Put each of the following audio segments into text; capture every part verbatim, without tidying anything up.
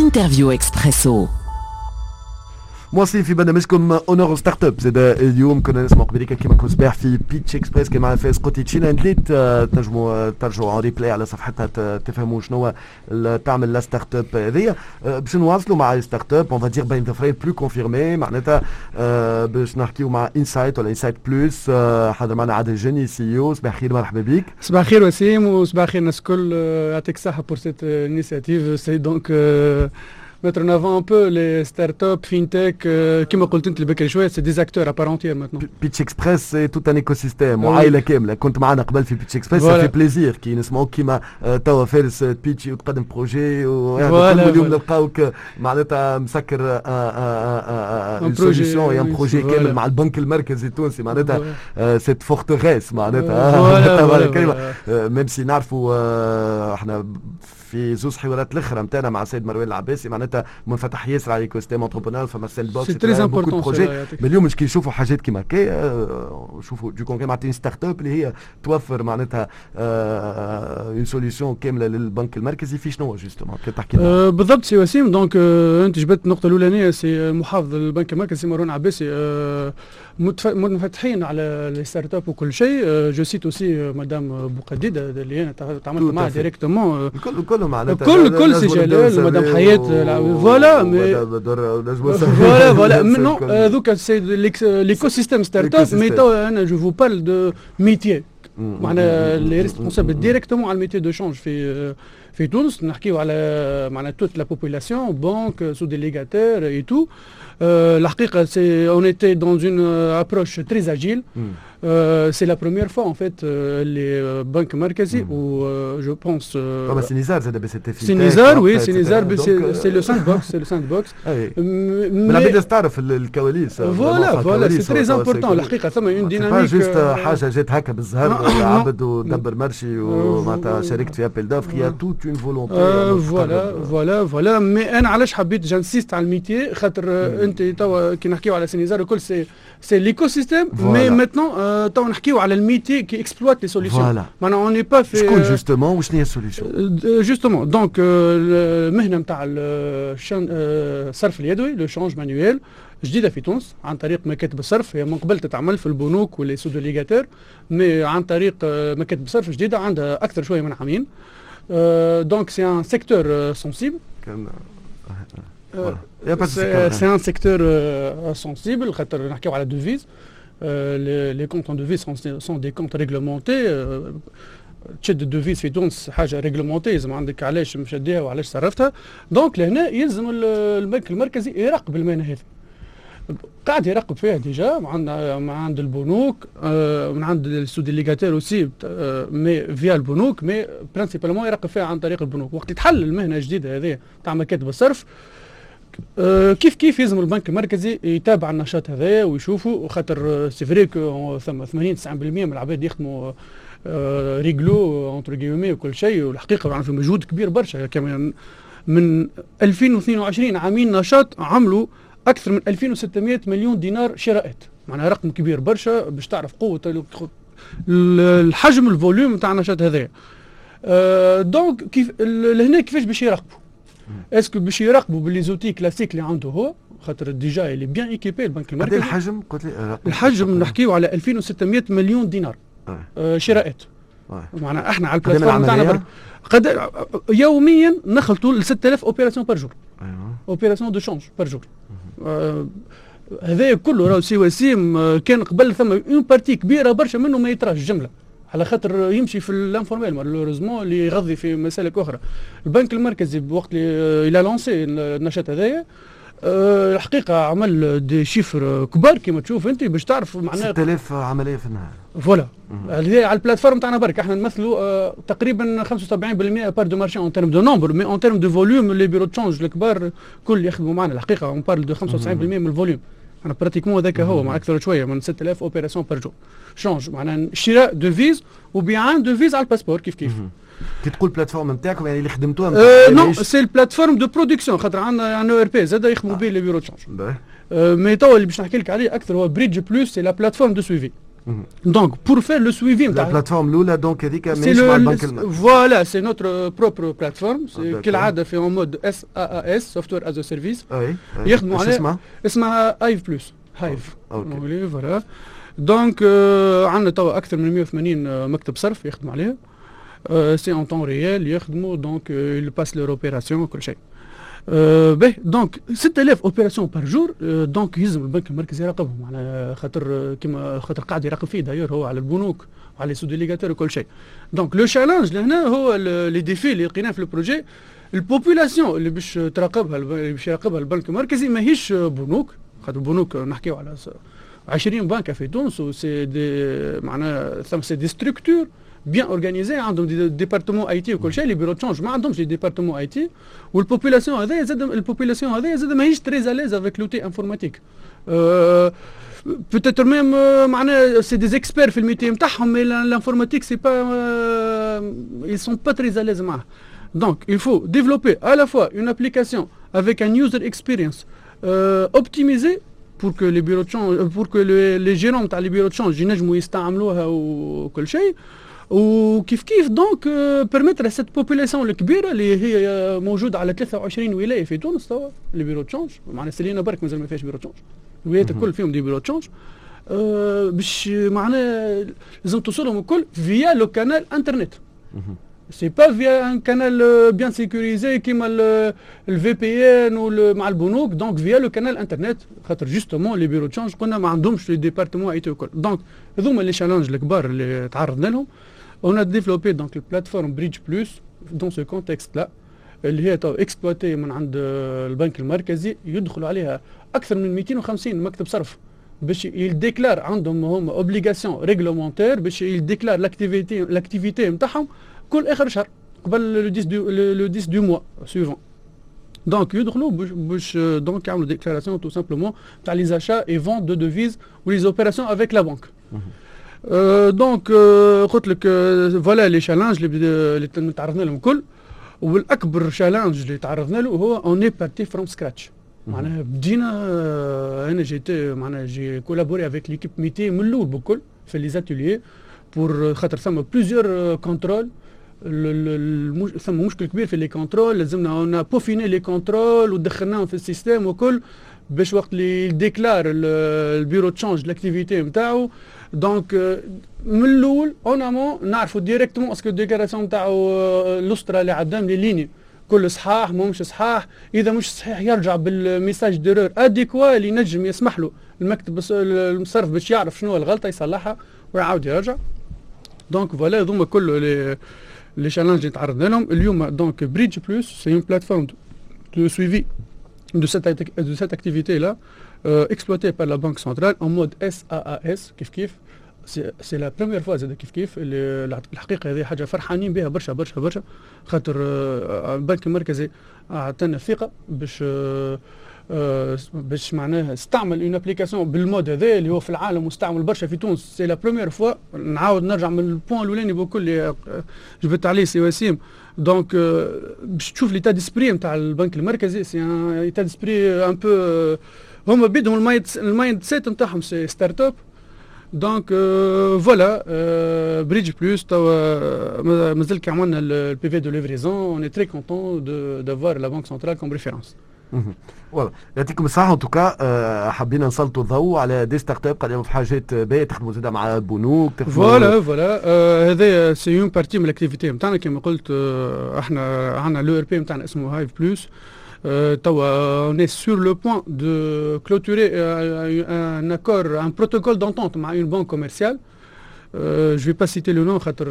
Interview Expresso. مواصلين في برنامجكم Honneur aux startups. زاد اليوم كنا نسمع قبليك كيما كنت صباح في Pitch Express كان معنا فايز قوتي تشينا ندليت، تنجموا ترجعوا en replay على صفحتها تفهموا شنو تعمل la startup هذيا. باش نواصلوا مع startup on va dire بين ظفرين plus confirmée، معناتها باش نحكيو مع Insight ولا Insight Plus. حاضر معنا عادل جني CEO. صباح الخير، مرحبا بك. صباح الخير وسيم وصباح الخير الناس الكل، يعطيك الصحة pour cette initiative، c'est donc mettre en avant un peu les startups, fintech, كما قلت انت البكري شويه، c'est des acteurs à part entière maintenant. Pitch Express c'est tout un écosystème وعائلة كامله. كنت معنا قبل في Pitch Express، ça fait plaisir كي نسمعوك كيما توا فارس تبيتشي وتقدم projet، واليوم نلقاوك معناتها مسكر une solution، un projet كامل مع البنك المركزي التونسي، معناتها cette forteresse معناتها، même si نعرفوا احنا في زوز حوارات الاخرى نتاعنا مع السيد مروان العباسي معناتها منفتح ياسر على écosystème entrepreneurial، فما sandbox، c'est très important. اليوم مش كي نشوفوا حاجات كيما هكا، شوفوا du concret معناتها startup اللي هي توفر معناتها une solution كاملة للبنك المركزي في شنو justement؟ كي تحكي لنا بالضبط سي وسيم. donc انت جبت النقطة الاولانيه، سي محافظ البنك المركزي مروان عباسي منفتحين على les startups وكل شيء. je cite aussi madame بوقديده اللي انا تعاملت معها directement. الكل كل معناتها. كل كل سي جلال، مدام حياة، voilà voilà voilà. non، هذوك c'est l'écosystème startup، mais توا انا je vous parle de métier، معناها les responsables directement على ال métier de change في في تونس. نحكيو على معناها toute la population، banque، sous-délégataires et tout. الحقيقة c'est on était dans une approche très agile. c'est la première fois en fait اللي بنك مركزي و je pense فما سينيزار زاد BCT. سينيزار، oui، سينيزار c'est le sandbox، c'est le sandbox. العباد تعرف الكواليس. voilà voilà، c'est très important الحقيقه، ثم une dynamique. juste حاجة جات هكا بالزهر، عبد ودبر marché ومعناتها شاركت في appel d'offres، y a toute une volonté. voilà voilà voilà، mais انا علاش حبيت j'insiste على ال métier؟ خاطر انت توا كي نحكيو على سينيزار الكل c'est c'est l'écosystème، mais maintenant توا نحكيو على ال métier qui exploite les solutions، معناها on n'est pas في شكون justement وشنو هي ال solution؟ justement، donc المهنة نتاع الصرف اليدوي، le change manuel، جديدة في تونس عن طريق مكاتب الصرف. هي من قبل تتعمل في البنوك و les sous-délégataires، mais عن طريق مكاتب الصرف جديده، عندها اكثر شوية من عامين. donc c'est un secteur sensible، c'est un secteur sensible خاطر نحكيو على devises، les comptes en devises sont des comptes réglementés. تشد ال devise في تونس حاجة réglementée، لازم عندك علاش مشديها وعلاش صرفتها. donc لهنا يلزم البنك المركزي يراقب المهنة هذه. قاعد يراقب فيها déjà من عند البنوك، من عند ال sous-délégataires aussi، mais via البنوك، mais principalement يراقب فيها عن طريق البنوك. وقت تحل المهنة الجديدة هذه تاع مكاتب الصرف، كيف كيف يلزم البنك المركزي يتابع النشاط هذا ويشوفه، خاطر c'est vrai ثم ثمانين تسعين بالمية من العباد يخدموا réglo entre guillemets وكل شيء. والحقيقة يعني في مجهود كبير برشا، كمان من ألفين واثنين وعشرين عامين نشاط عملوا اكثر من ألفين وستمية مليون دينار شراءات، معناها رقم كبير برشا باش تعرف قوة الحجم، ال volume نتاع النشاط هذايا. أه donc كيف لهنا كيفاش باش يراقبوا؟ est-ce que باش يراقبوا ب les outils classiques اللي عنده هو؟ خاطر déjà il est bien équipé البنك المركزي. الحجم قلت لي؟ الحجم نحكيو على ألفين وستمية مليون دينار آه. آه شراءات. آه. معناها احنا على ال plateforme تاعنا برك قد يوميا نخلطوا ل ستة آلاف opération par jour، opération de change par jour. هذا كله راهو سي وسيم آه، كان قبل ثم une partie كبيرة برشا منه ما يطراش جمله، على خاطر يمشي في l'informel malheureusement اللي يغذي في مسالك اخرى. البنك المركزي بوقت اللي il a lancé النشاط هذايا، أه الحقيقة عمل des chiffres كبار كما تشوف انت باش تعرف. معناها ستة آلاف عملية في النهار. voilà، هذه على ال plateforme تاعنا برك. احنا نمثلوا آه تقريبا خمسة وسبعين بالمية part de marché en termes de nombre، mais en termes de volume les bureaux de change الكبار كل يخدموا معنا. الحقيقة on parle de خمسة وتسعين بالمية من ال volume، انا pratiquement هذاك هو مع اكثر شوية من ستة آلاف opérations par jour change، معناها شراء devise وبيعان devise على ال passeport كيف كيف. كي تقول plateforme نتاعكم، يعني اللي خدمتوها؟ أه non، c'est ال plateforme de production، خاطر عندنا un ERP زاد يخدموا به les bureaux de change، mais توا اللي باش نحكي لك عليه اكثر هو Bridge Plus، c'est la plateforme de suivi. Donc, pour faire le suivi. La plateforme الأولى, donc, هذيك ماهيش مع البنك المركزي. Voilà, c'est notre propre plateforme. كالعادة في en mode SaaS, Software as a Service. يخدموا عليها. اسمها Hive Plus. Hive. Voilà. Donc عندنا توا اكثر من مية وثمانين مكتب صرف يخدموا عليها. C'est en temps réel يخدموا, donc ils passent leurs opérations وكل شيء. باهي, donc ستة آلاف opérations par jour, donc يلزم البنك المركزي يراقبهم على خاطر كيما خاطر قاعد يراقب فيه d'ailleurs هو على البنوك وعلى sous-délégateurs وكل شيء. Donc le challenge لهنا هو les défis اللي لقيناه في ال projet, ال population اللي باش تراقبها, اللي باش يراقبها البنك المركزي ماهيش بنوك, خاطر البنوك نحكيو على عشرين بنكه في تونس و c'est des معناها ثم c'est des structures bien organisées, عندهم des départements IT وكل شيء. Les bureaux de change ما عندهمش des départements IT, وال population هذايا زاد ال population هذايا زاد ماهيش très à l'aise avec l'outil informatique, peut-être même معناها c'est des experts في ال métier نتاعهم, mais l'informatique, c'est pas, ils sont pas très à l'aise معاه. Donc il faut développer à la fois une application avec un user experience euh, optimisé pour que les bureaux de change, pour que les, les gérants تاع les bureaux de change ينجموا يستعملوها وكل شيء, وكيف كيف donc permettre à cette population الكبيرة اللي هي موجودة على ثلاثة وعشرين ولاية في تونس توا les bureaux de change, معناها سلينا برك مازال ما فيهاش bureau de change, الولايات الكل فيهم des bureaux de change, أه باش معناها لازم توصلهم الكل via le canal internet, c'est pas via un canal bien sécurisé كيما ال VPN مع البنوك, donc via le canal internet, خاطر justement les bureaux de change قلنا ما عندهمش les départements IT الكل. Donc هذوما les challenges الكبار اللي تعرضنا لهم. On a développé donc la plateforme Bridge Plus dans ce contexte-là, اللي هي exploitée من عند البنك المركزي, يدخلوا عليها اكثر من ميتين وخمسين مكتب صرف باش ils déclarent, عندهم هم obligation réglementaire باش ils déclarent l'activité l'activité نتاعهم كل اخر شهر قبل le dix du le dix du mois suivant. Donc يدخلوا باش باش donc يعملوا déclaration tout simplement تاع les achats et ventes de devises و les opérations avec la banque. Donc قلت لك voilà les challenges اللي تعرضنا لهم الكل, والاكبر challenge اللي تعرضنا له هو on est parti from scratch. معناها بدينا, انا j'étais معناها j'ai collaboré avec l'équipe métier من الاول بكل في les ateliers pour خاطر ثم plusieurs contrôles, ثم مشكل كبير في les contrôles, لازمنا on a peaufiné les contrôles ودخلناهم في ال système وكل باش وقت اللي déclare ال bureau de change l'activité نتاعو, donc من الاول en amont نعرفوا directement est-ce que déclaration نتاعو الأسطرة اللي عدام les lignes كل صحاح مش صحاح. اذا مش صحيح يرجع بال message d'erreur adéquat اللي ينجم يسمح له المكتب المصرف باش يعرف شنو الغلطة يصلحها ويعاود يرجع. Donc voilà, هذوما كل les les challenges اللي تعرضنا لهم اليوم. Donc Bridge Plus, c'est une plateforme de suivi de cette, de cette activité-là, euh, exploitée par la Banque centrale en mode SaaS, كيف كيف. C'est la première fois زاد كيف كيف. اللي الحقيقة هذه حاجة فرحانين بها برشا برشا برشا, خاطر البنك المركزي اعطانا الثقة باش باش معناها استعمل une application بال mode هذا اللي هو في العالم مستعمل برشا, في تونس c'est la première fois. نعاود نرجع من ال point الاولاني بكل اللي جبت عليه سي وسيم, donc باش تشوف l'état d'esprit نتاع البنك المركزي, c'est un état d'esprit un peu هما بيدهم ال mind ال mindset نتاعهم c'est startup. Donc voilà, Bridge Plus توا مازال كي عملنا ال PV de livraison, on est très contents d'avoir la Banque centrale comme référence. Voilà, يعطيكم الصحة. En tout cas حبينا نسلطوا الضوء على des startups قاعدين في حاجات باهية, تخدموا زاده مع بنوك. Voilà voilà, هذا c'est une partie من l'activité نتاعنا. كما قلت احنا عندنا l'ERP نتاعنا اسمه Hive Plus. توا on est sur le point de clôturer un accord, un protocole d'entente مع une banque commerciale. Je vais pas citer le nom خاطر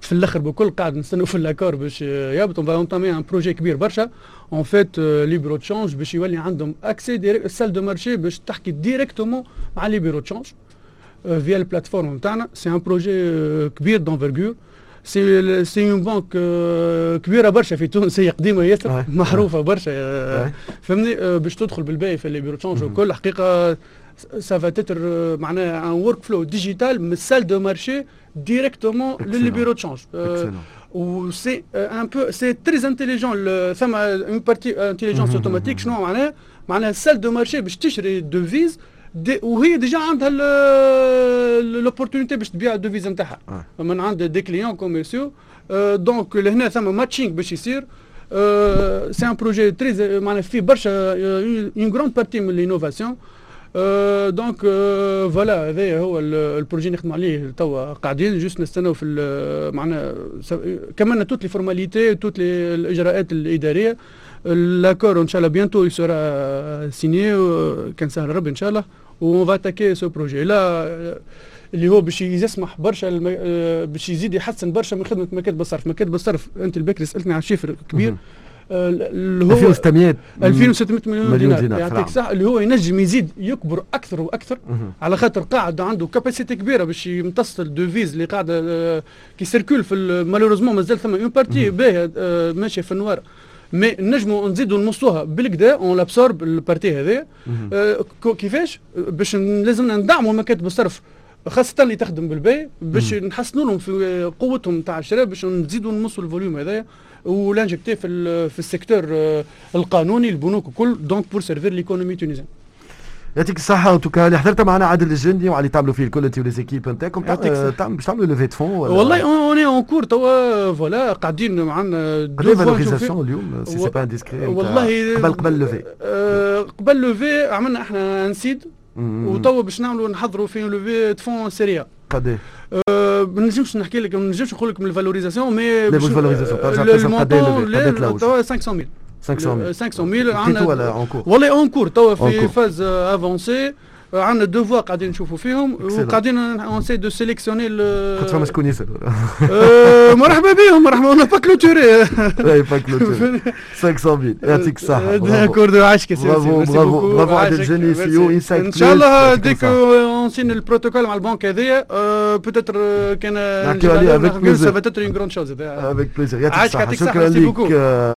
في الاخر بكل قاعد نستناو في l'accord باش يهبط. On va entamer un projet كبير برشا en fait, les bureaux de change باش يولي عندهم accès direct salle de marché باش تحكي directement مع les bureaux de change via ال plateforme نتاعنا. C'est un projet كبير d'envergure, c'est c'est une banque كبيرة برشا في تونس, هي قديمة ياسر, معروفة برشا, فهمني, باش تدخل بالباهي في les bureaux de change وكل. حقيقة ça va être معناها un workflow digital من ال salle de marché directement لل bureau de change, و c'est un peu c'est très intelligent, ثم une partie intelligence automatique. شنو معناها؟ معناها ال salle de marché باش تشري devise des وهي déjà عندها l'opportunité باش تبيع ال devise نتاعها من عند des clients commerciaux. donc لهنا ثم matching باش يصير. c'est un projet très معناها فيه برشا une grande partie من l'innovation. donc voilà، هذا هو ال projet نخدم عليه توا، قاعدين juste نستناو في معناها كملنا toutes les formalités، toutes les الاجراءات الاداريه. l'accord ان شاء الله bientôt sera signé كان سهل ربي ان شاء الله، on va attaquer ce projet-là اللي هو باش يسمح برشا الم... باش يزيد يحسن برشا من خدمة مكاتب الصرف. مكاتب الصرف، انت البكري سالتني على chiffre كبير اللي هو ألفين وستمية ألفين وستمية مليون، مليون دينار، يعطيك صح، اللي هو ينجم يزيد يكبر اكثر واكثر على خاطر قاعد عنده capacité كبيرة باش يمتص ال devises اللي قاعدة qui circule في. malheureusement مازال ثم une partie باهيه ماشية في ال noir، mais نجموا نزيدوا نمصوها بالقدا، on l'absorbe ال partie هذا. آه كيفاش باش لازمنا ندعموا مكاتب الصرف، خاصة اللي تخدم بالباي، باش نحسنوا لهم في قوتهم تاع الشراء، باش نزيدوا نمصوا ال volume هذايا و l'injecter في في ال secteur القانوني، البنوك الكل، donc pour servir l'économie tunisienne. يعطيك الصحة en tout cas اللي حضرت معنا عادل الجندي وعلى تعملوا فيه الكل انت و les équipes نتاعكم. تعمل باش تعملوا levée de fonds؟ والله on est en cours توا، voilà، قاعدين معنا. قداش valorisation اليوم si c'est pas indiscret؟ والله قبل قبل levée. قبل levée عملنا احنا un seed، وتوا باش نعملوا نحضروا في levée de fonds série A. قد أه ما نجمش نحكي لك، ما نجمش نقول لك من ال valorisation mais لا، مش valorisation، قد توا خمسمية ألف. خمسمية. خمسمية ألف. عندنا ولا en cours؟ والله en cours توا في phase avancée، عندنا deux voies قاعدين نشوفوا فيهم وقاعدين on essaie de sélectionner. خاطر فما شكون يسال. مرحبا بهم، مرحبا، on n'a pas clôturé. لا، pas clôturé. خمسمية، يعطيك الصحة. d'accord، عايشك. bravo bravo bravo عادل الجني، CEO Insight. ان شاء الله dès qu'on signe البروتوكول مع البنك هذايا peut-être كان نحكيو عليه avec plaisir، ça va être une grande chose. avec plaisir، يعطيك الصحة، شكرا لك.